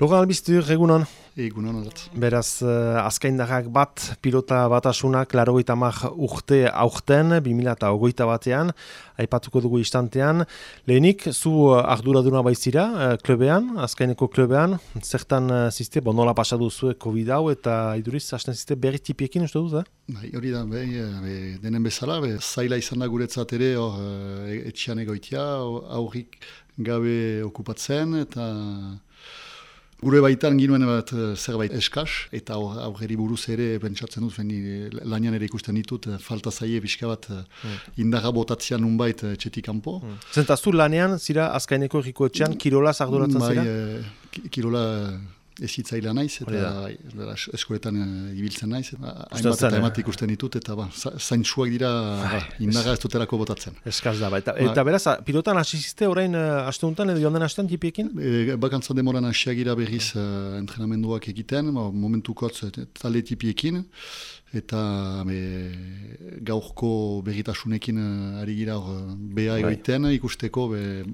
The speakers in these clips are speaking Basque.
Logan Albiztur, egunon. Egunon alat. Beraz, azkaindarrak bat, pilota batasunak, 80 urte aurten, 2021 batean, aipatuko dugu istantean. Lehenik, zu arduraduna baizira, klubean, azkaineko klubean, zertan ziste, nola pasadu zuen COVID hau, eta iduriz, hasten ziste berri tipiekin, uste duz, Hori da, denen bezala, zaila izan da guretzat ere, etxean egoitia, aurrik gabe okupatzen, eta gure baitan ginuen bat zerbait eskas, eta aurreri buruz ere pentsatzen dut, lanian ere ikusten ditut, falta zaie pixka bat indarra botatzean nunbait txetik kanpo. Zentaztu lanean, zira azkaineko erriko etxean, kirolaz arduratzen zira? Kirola ezitzailea naiz, eta eskoletan ibiltzen naiz, hainbat eta emat ikusten ditut, eta zaintsuak dira indarra ez duterako botatzen. Eskaz da, eta beraz, pilotan hasiziste orain aste honetan edo joan den astean tipiekin? Bakantza demoran hasiagira berriz entrenamenduak egiten, momentukotz talde tipiekin, eta gaurko berritasunekin ari gira beha egoiten, ikusteko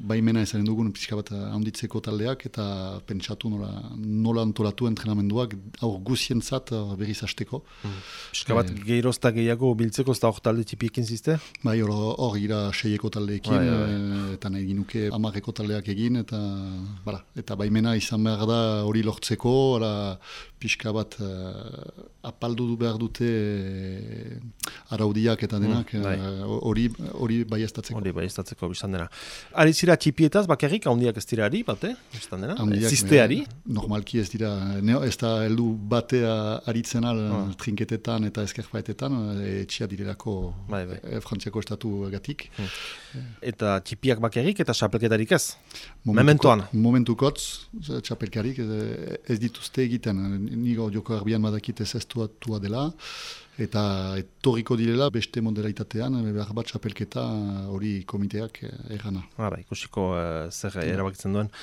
baimena ezanen dugun pixka bat handitzeko taldeak, eta pentsatu nola antolatu entrenamenduak aur guzientzat berriz hasteko. Pixka bat geirozta gehiago biltzeko, ez da hor talde tipiekin zizte? Hor gira 6eko taldeekin, eta nahi ginuke 10eko taldeak egin, eta baimena izan behar da hori lortzeko, pixka bat apaldu behar dute araudiak eta denak hori baiestatzeko. Hori baiestatzeko biztan dena. Ari zira txipietaz, bakarrik, handiak ez dira ari, bate? Biztan dena? Zizteari? Normalki ez dira, ez da heldu batea aritzen trinketetan eta eskerpaetetan, etxia direlako Frantziako estatu gatik. Eta txipiak bakarrik eta xapelketarik ez? Mementoan? Momentukotz, xapelkarik ez dituzte egiten. Nigo joko arbian badakit ez eztuatua dela, eta etorriko direla beste moderaitatean, behar bat xapelketa hori komiteak errana. Ikusiko zer erabakitzen duen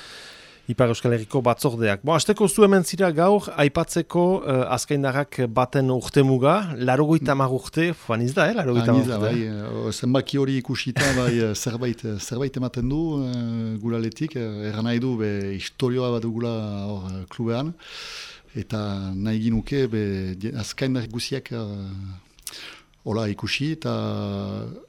Ipar Euskal Herriko batzordeak. Azteko zu hemen zira gaur, aipatzeko azkaindarrak baten urtemuga, 80 urte, faniz da, 80 urte? Zenbaki hori ikusita, zerbait ematen du guraletik, erran nahi du, historioa bat dugula klubean, eta nahi ginuke, azkaindarrak guziak hola ikusi, eta...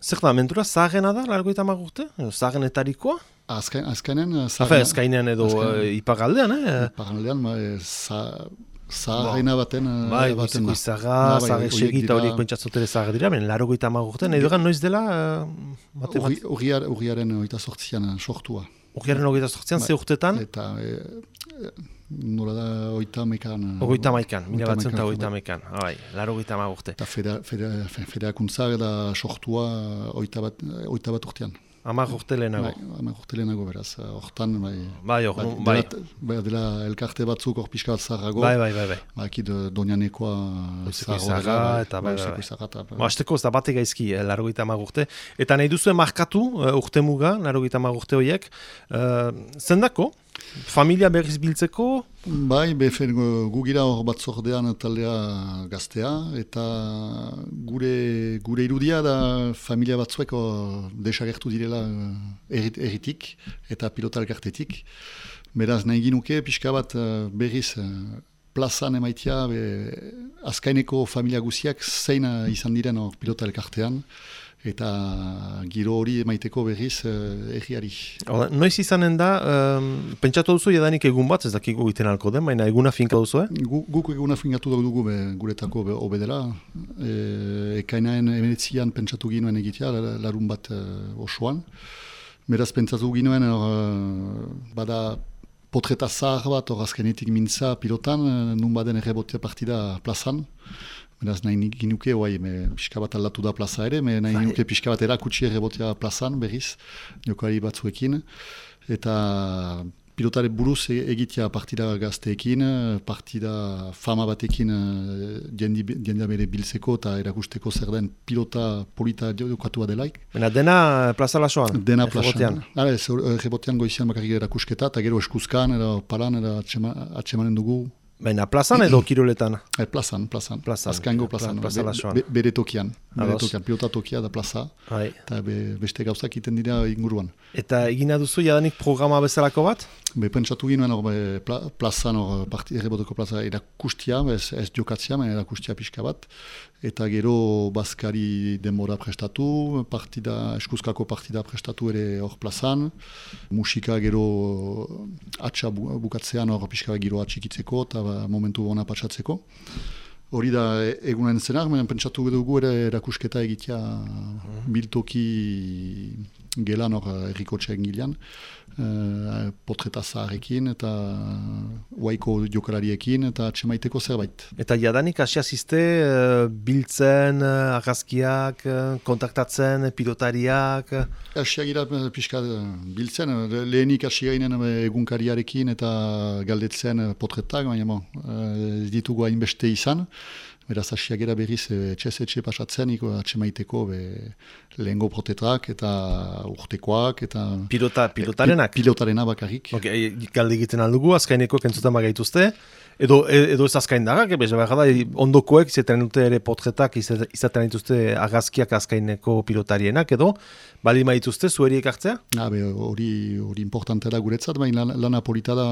Zer da, mentura zaharrena da, 80 urte? Zaharrenetarikoa? Azkainen... Azkainen edo ipagaldean, Ipagaldean, zaharrena baten... Goizeko izarra, zaharrek segita horiek pentsatzotere zahar dira, 80 urte, nahi dugan noiz dela... Urriaren 28an sortua. Urriaren 28an, ze urtetan? Eta... Nola da 80an. 80an, 1980an, 80 urte. Eta federakuntza da sortua 8 bat urtean. 10 urte lehenago. 10 urte lehenago beraz. Hortan, dela elkarte batzuk hor pixka bat zaharrago. Akid Donianekoa zaharra. Azteko ez da bate gaizki, 80 urte. Eta nahi duzuen markatu urte muga, 80 urte horiek. Zendako? Familia berriz biltzeko? Gu gira hor batzordean taldea gaztea, eta gure irudia da familia batzueko desagertu direla erritik eta pilota elkartetik. Beraz nahi ginuke pixka bat berriz plazan emaitia azkaineko familia guziak zein izan diren hor pilota elkartean, eta giro hori emaiteko berriz erriari. Noiz izanen da, pentsatu duzu jadanik egun bat, ez dakiko egiten alko den, baina eguna finka duzu, Guk eguna finkatu dugu guretako obedela. Ekainaen 19an pentsatu ginuen egitea, larun bat osoan. Beraz pentsatu ginuen, bada potreta zahar bat, azkenetik mintza pilotan, nun baden errebotea partida plazan. Beraz, nahi ginuke, pixka bat aldatu da plaza ere, nahi ginuke pixka bat erakutsi errebotea plazan berriz, jokoari batzuekin, eta pilotare buruz egitea partida gazteekin, partida fama batekin jendea bere biltzeko eta erakusteko zer den pilota polita jokatua delaik. Dena plaza lasoan? Dena plazan. Errebotean goizian bakarrik erakusketa, eta gero eskuzkan, palan, atxemanen dugu, Baina plazan edo kiroletan? Plazan. Azkaingo plazan. Bere tokian. Pilota tokia da plaza. Eta beste gauzak iten dira inguruan. Eta egina duzu jadanik programa bezalako bat? Pentsatu ginoen plazan, erreboteko plaza erakustia, ez jokatzia, erakustia pixka bat. Eta gero bazkari denbora prestatu, eskuzkako partida prestatu ere hor plazan. Musika gero atxa bukatzean hor pixka bat gero atxikitzeko eta momentu bona patsatzeko. Hori da egunen zenar, pentsatu dugu ere erakusketa egitea biltoki gelan hor errikotxean gilean, potreta zaharrekin eta uaiko jokalariekin eta txemaiteko zerbait. Eta jadanik asiazizte biltzen, argazkiak, kontaktatzen, pilotariak? Asiagira pixka biltzen, lehenik asiaginen egunkariarekin eta galdetzen potretak, baina ez ditugu hainbeste izan. Beraz, asiagera berriz etxe pasatzen, atxemaiteko lehengo protetrak eta urtekoak eta... Pilotarenak? Pilotarena bakarrik. Galde egiten aldugu, azkaineko kentzutan bagaituzte, edo ez azkain darak, ondokoek izaten dute ere potretak, izaten dituzte agazkiak azkaineko pilotarienak, edo bali maituzte zuheriek hartzea? Hori importante da guretzat, baina lana polita da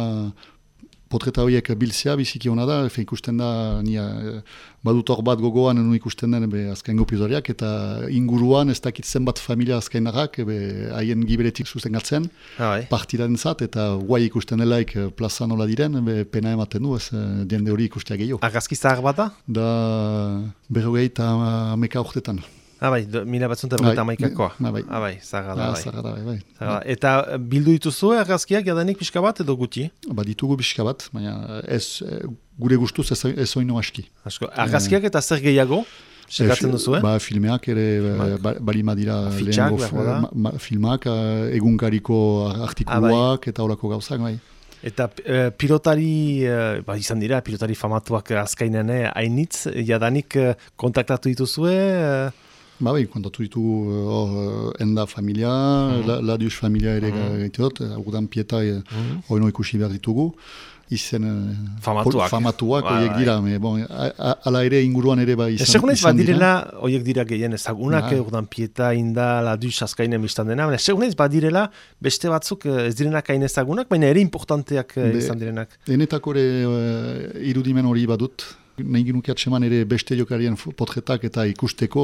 potreta horiek biltzea, biziki hona da, ikusten da, badut hor bat gogoan ikusten den azkaingo pilotariak, eta inguruan ez dakit zenbat familia azkainarrak, haien giberetik sustengatzen, partidaren zat, eta guai ikusten delaik plaza nola diren, pena ematen du, ez jende hori ikustea gehiago. Agazki zahar bat da? Da 50 urtetan. Mila batzuntan berreta amaikakoa. Zagarra da. Eta bildu dituzu argazkiak jadanik pixka bat edo guti? Ditugu pixka bat, baina ez gure gustuz ez oino aski. Argazkiak eta zer gehiago? Sekatzen duzu, Filmeak ere balima dira lehengo filmak, egunkariko artikuluak eta horako gauzak, bai. Eta pilotari, izan dira, pilotari famatuak azkainen hainitz, jadanik kontaktatu dituzue? Kontatu ditugu enda familia, Ladius familia ere gaiteot, agudan pieta hori ikusi behar ditugu. Izen famatuak horiek dira, ala ere inguruan ere izan dira. Segunez badirela horiek dira gehien ezagunak, agudan pieta inda Ladius azkainen biztan dena, segunez badirela beste batzuk ez direnak hain ezagunak, baina ere importanteak izan direnak. Enetako ere irudimen hori badut, nahi ginuke atseman ere beste jokarien potretak eta ikusteko,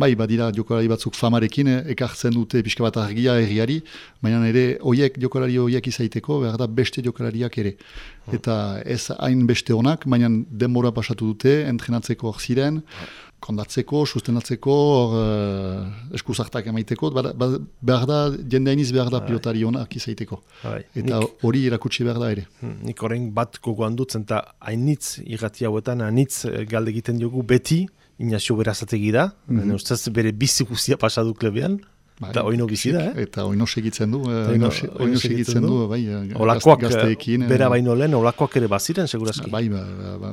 badira jokalari batzuk famarekin, ekartzen dute pixka bat argia herriari, baina ere jokalari horiek izaiteko, behar da beste jokalariak ere. Eta ez hain beste honak, baina denbora pasatu dute, entrenatzeko hor ziren, kondatzeko, sustenatzeko, eskuzartak emaiteko, behar da, jende hainiz behar da pilotari honak izaiteko. Eta hori erakutsi behar da ere. Nik horrein bat gogoan dutzen, eta hainitz irrati hauetan, hainitz galde egiten dugu beti, Inazio Berazategi da, ustez bere bizi guztia pasadu klebean, eta oino bizi da, Eta oino segitzen du, olakoak, gazteekin. Bera baino lehen, olakoak ere baziren, segurazki.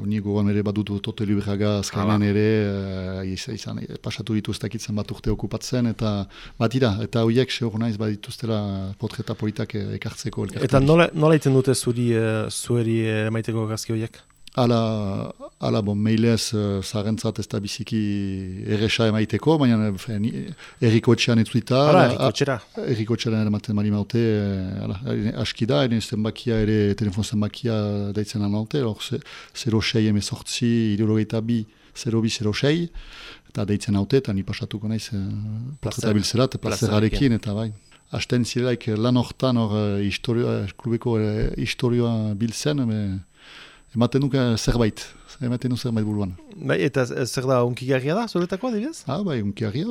Ni gogoan ere badutu Tote Libraga azkainen ere, pasatu ditu ez dakitzen bat urte okupatzen, eta batira, eta horiek sehor naiz badituztela potreta politak ekartzeko elkartari. Eta nola iten dute zueri maiteko gazki horiek? Ala mailez zarentzat ez da biziki erresa emaiteko, baina erriko etxean etzuita. Erriko etxean eramaten mali maute, aski da, telefon zenbakia daitzen anaute, 06 emezortzi, ideologeita bi, 0206, eta daitzen haute, eta ni pasatuko naiz potreta biltzerat, plazerarekin, eta bai. Asten zirelaik lan hortan klubeko historioa biltzen, ematen duk zerbait buruan. Eta zer da, unkigarria da, zuretako, adibidez? Unkigarria,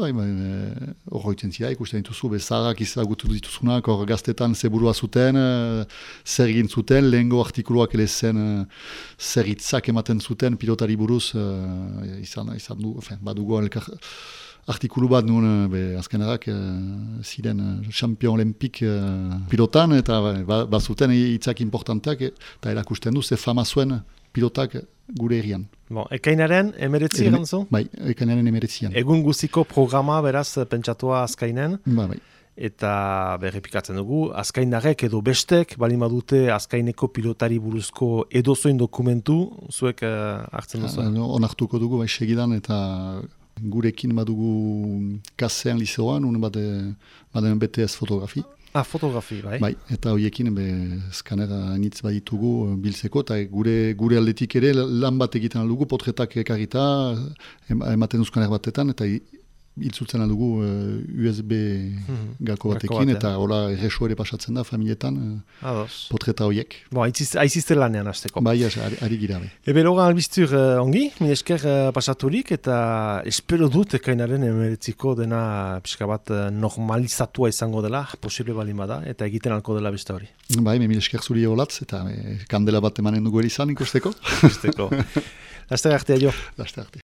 hor hoitzen zira, ikusten dituzu, zaharrak izagutu dituzunak, hor gaztetan ze burua zuten, zer egin zuten, lehengo artikuluak ere zen, zer hitzak ematen zuten, pilotari buruz, izan du, badugu artikulu bat nuen azkenarak ziren champion olimpik pilotan, eta bazuten hitzak importanteak, eta erakusten du, ze fama zuen pilotak gure herrian. Ekainaren emeretzi egan zu? Ekainaren emeretzian. Egun guziko programa beraz pentsatua azkainen. eta berrepikatzen dugu, azkainarek edo bestek, balin badute azkaineko pilotari buruzko edozoin dokumentu, zuek hartzen duzu? Onartuko dugu, bai segidan, eta gurekin badugu kasean liceoan, baden BTS fotografi. Fotografi, bai. Bai, eta horiekin skanera nitz baditugu biltzeko, eta gure aldetik ere lan bat egiten aldugu, potretak ekarrita, ematen duzkaner batetan, eta iltzutzen aldugu USB gako batekin, eta hola erreso ere pasatzen da, familietan, potreta horiek. Aizizte lanean hasteko. Bai, ari gira. Ebe logan albiztur ongi, mil esker pasaturik, eta espero dut ekainaren emeretziko dena pixka bat normalizatua izango dela, posible balin bada, eta egiten alko dela beste hori. Bai, mil esker zuri holatz, eta kandela bat emanen dugu erizan ikusteko. Laster arte, aio. Laster arte.